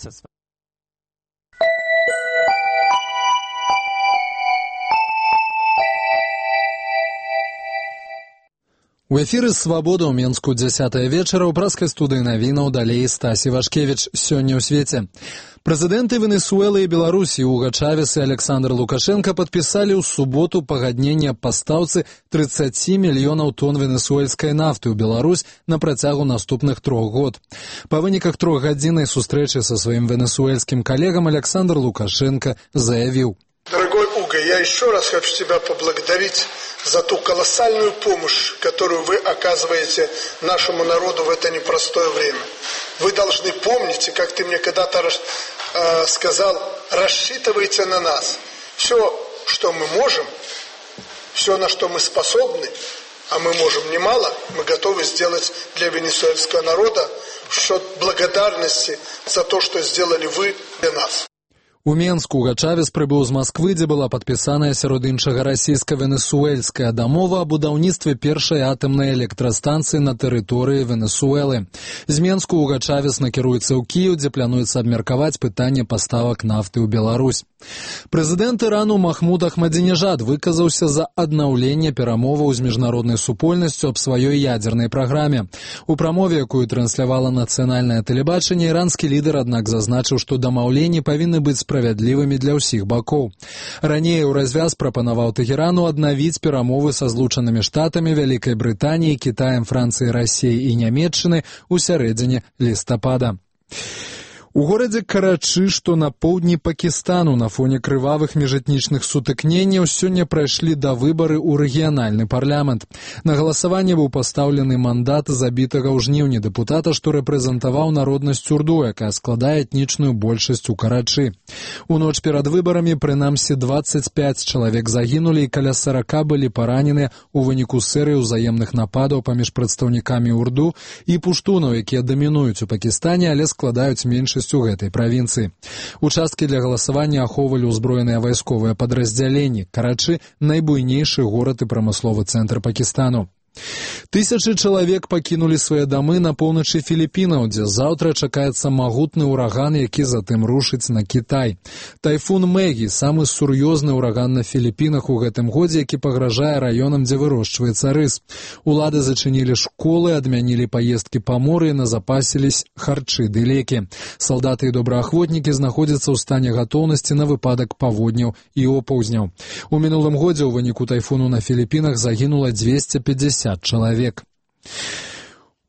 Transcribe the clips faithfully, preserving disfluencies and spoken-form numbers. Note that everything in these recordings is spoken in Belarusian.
со своим. У эфіры «Свабода» ў Менску дзясятая вечара ў праскай студыі навінаў далей Стасі Вашкевіч. Сёння ў свеце. Прэзідэнты Венесуэлы і Беларусі Уга Чавес і Александр Лукашенко падпісалі ў суботу пагадненне аб пастаўцы тридцать мільёнаў тонн венесуэльскай нафты ў Беларусь на працягу наступных трох год. Па выніках трохгадзіннай сустрэчы са сваім венесуэльскім калегам Александр Лукашенко заявіў: Дорогой Уга, я еще раз хочу тебя поблагодарить за ту колоссальную помощь, которую вы оказываете нашему народу в это непростое время. Вы должны помнить, и как ты мне когда-то э, сказал, рассчитывайте на нас. Все, что мы можем, все, на что мы способны, а мы можем немало, мы готовы сделать для венесуэльского народа в счет благодарности за то, что сделали вы для нас. У Менску Уга Чавес прыбыў з Масквы, дзе была падпісаная сярод іншага расійска-венесуэльская дамова аб будаўніцтве першай атамнай электрастанцыі на тэрыторыі Венесуэлы. З Менску Уга Чавес накіруецца ў Кіеў, дзе плануецца абмеркаваць пытанне паставак нафты ў Беларусь. Прэзідэнт Ірану Махмуд Ахмадзінежад выказаўся за аднаўленне перамоваў з міжнароднай супольнасцю аб сваёй ядзернай праграме. У прамове, якую транслявала нацыянальнае тэлебачанне, іранскі лідар, аднак, зазначыў, што дамаўленні павінны быць справядлівымі для ўсіх бакоў. Раней у развяз прапанаваў Тэхерану аднавіць перамовы са Злучанымі Штатамі, Вялікай Брытаніяй, Кітаем, Францыяй, Расіяй і Нямецчыны ў сярэдзіне лістапада. У горадзе Карачы, што на поўдні Пакістану, на фоне крывавых міжэтнічных сутыкненняў сёння прайшлі да выбары ў рэгіянальны парламент. На галасаванне быў пастаўлены мандат забітага ў жніўні дэпутата, што рэпрэзентаваў народнасць урду, якая складае этнічную большасць у Карачы. У ноч перад выбарамі прынамсі двадцать пять чалавек загінулі і каля сорока былі параненыя ў выніку серыі ўзаемных нападаў паміж прадстаўнікамі урду і пуштунаў, якія дамінуюць у Пакістане, але складаюць меншасць у гэтай правінцыі. Участкі для галасавання ахоўвалі ўзброеныя вайсковыя падраздзяленні. Карачы – найбуйнейшы горад і прамысловы цэнтр Пакістану. Тысячы чалавек пакінулі свае дамы на поўначы Філіпінаў, дзе заўтра чакаецца магутны ўраган, які затым рушыць на Кітай. Тайфун Мэгі – самы сур'ёзны ўраган на Філіпінах у гэтым годзе, які пагражае раёнам, дзе вырошчваецца рыс. Улады зачынілі школы, адмянілі паездкі па моры і назапасілись харчы ды лекі. Салдаты і добраахвотнікі знаходзяцца ў стане гатоўнасці на выпадак паводняў і опаўзняў. У мінулым годзе ў выніку тайфуну на Філіпінах загінула двести пятьдесят чалавек.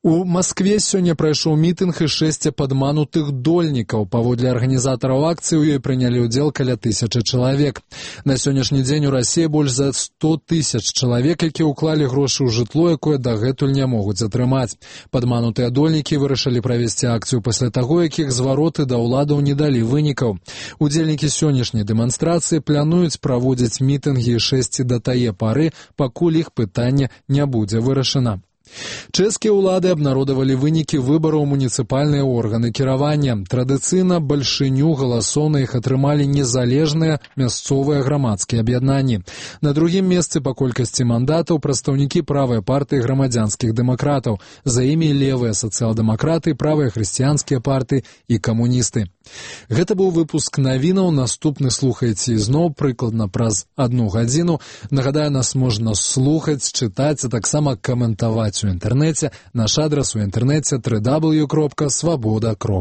У Маскве сёння прайшоў мітынг і шэсць падманутых дольнікаў. Паводле арганізатараў акцыі ў ёй прынялі ўдзел каля тысячы чалавек. На сённяшні дзень у Расіі больш за сто тысяч чалавек, якія ўклалі грошы ў жытло, якое дагэтуль не могуць атрымаць. Падманутыя дольнікі вырашылі правесці акцыю пасля таго, як іх звароты да ўладаў не далі вынікаў. Удзельнікі сённяшняй дэманстрацыі плануюць праводзіць мітынгі і шэсці да тае пары, пакуль іх пытанне не будзе вырашана. Чэшскія ўлады абнародавалі вынікі выбараў муніцыпальныя органы кіравання. Традыцыйна бальшыню галасоў на іх атрымалі незалежныя мясцовыя грамадскія аб'яднанні. На другім месцы па колькасці мандатаў прадстаўнікі правай партыі грамадзянскіх дэмакратаў. За імі левыя сацыял-дэмакраты, правыя хрысціянскія партыі і камуністы. Гэта быў выпуск навінаў. Наступны слухайце ізноў прыкладна праз адну гадзіну. Нагадаю, нас можна слухаць, чытаць, а таксама каментаваць у інтэрнэце. Наш адрас у інтэрнэце дабл ю дабл ю дабл ю кропка свабода кропка